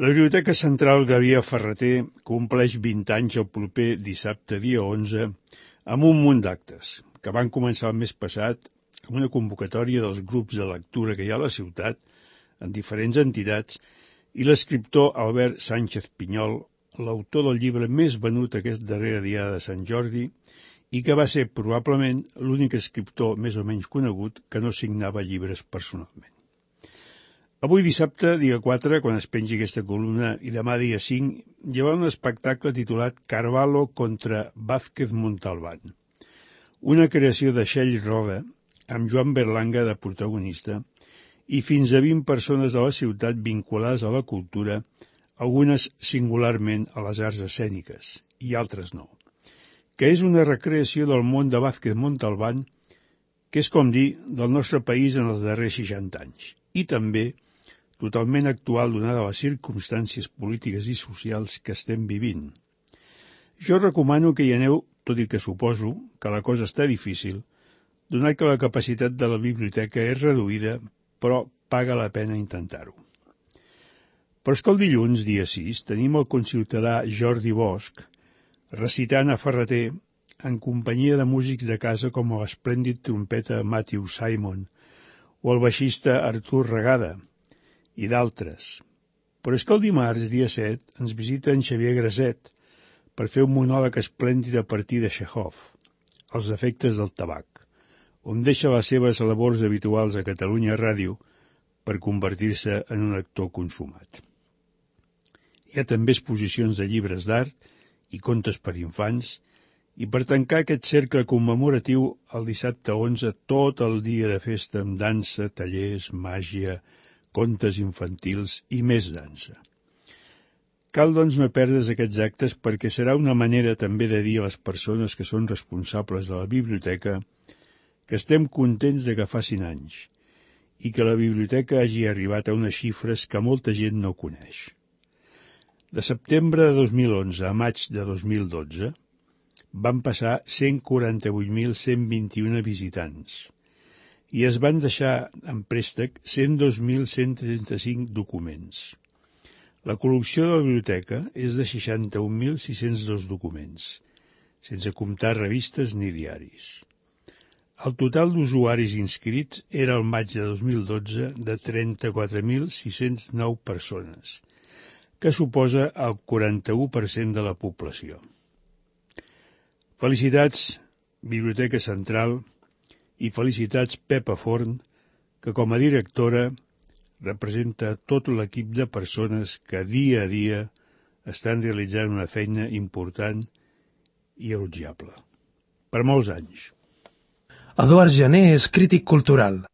La Biblioteca Central Gabriel Ferrater compleix 20 anys el proper dissabte, dia 11, amb un munt d'actes, que van començar el mes passat amb una convocatòria dels grups de lectura que hi ha a la ciutat, en diferents entitats, i l'escriptor Albert Sánchez Pinyol, l'autor del llibre més venut aquest darrere dia de Sant Jordi, i que va ser probablement l'únic escriptor més o menys conegut que no signava llibres personalment. Avui dissabte, dia 4, quan es pengi aquesta columna, i demà dia 5, hi haurà un espectacle titulat Carvalho contra Vázquez Montalbán, una creació de Shell Roda, amb Joan Berlanga de protagonista, i fins a 20 persones de la ciutat vinculades a la cultura, algunes singularment a les arts escèniques, i altres no, que és una recreació del món de Vázquez Montalbán, que és com dir del nostre país en els darrers 60 anys, i també totalment actual donada les circumstàncies polítiques i socials que estem vivint. Jo recomano que hi aneu, tot i que suposo que la cosa està difícil, donat que la capacitat de la biblioteca és reduïda, però paga la pena intentar-ho. Però és que el dilluns, dia 6, tenim el conciutadà Jordi Bosch recitant a Ferrater en companyia de músics de casa com l'esplèndid trompeta Matthew Simon o el baixista Artur Regada, i d'altres. Però és que el dimarts, dia 7, ens visita en Xavier Graset per fer un monòleg esplèndid a partir de Chekhov, Els efectes del tabac, on deixa les seves labors habituals a Catalunya Ràdio per convertir-se en un actor consumat. Hi ha també exposicions de llibres d'art i contes per infants, i per tancar aquest cercle commemoratiu el dissabte 11 tot el dia de festa amb dansa, tallers, màgia, contes infantils i més dansa. Cal, doncs, no perdre's aquests actes perquè serà una manera també de dir a les persones que són responsables de la biblioteca que estem contents de que facin anys i que la biblioteca hagi arribat a unes xifres que molta gent no coneix. De setembre de 2011 a maig de 2012 van passar 148.121 visitants i es van deixar en préstec 102.135 documents. La col·lecció de la biblioteca és de 61.602 documents, sense comptar revistes ni diaris. El total d'usuaris inscrits era al maig de 2012 de 34.609 persones, que suposa el 41% de la població. Felicitats, Biblioteca Central, i felicitats Pepa Forn, que com a directora representa tot l'equip de persones que dia a dia estan realitzant una feina important i elogiable. Per molts anys. Eduard Jané és crític cultural.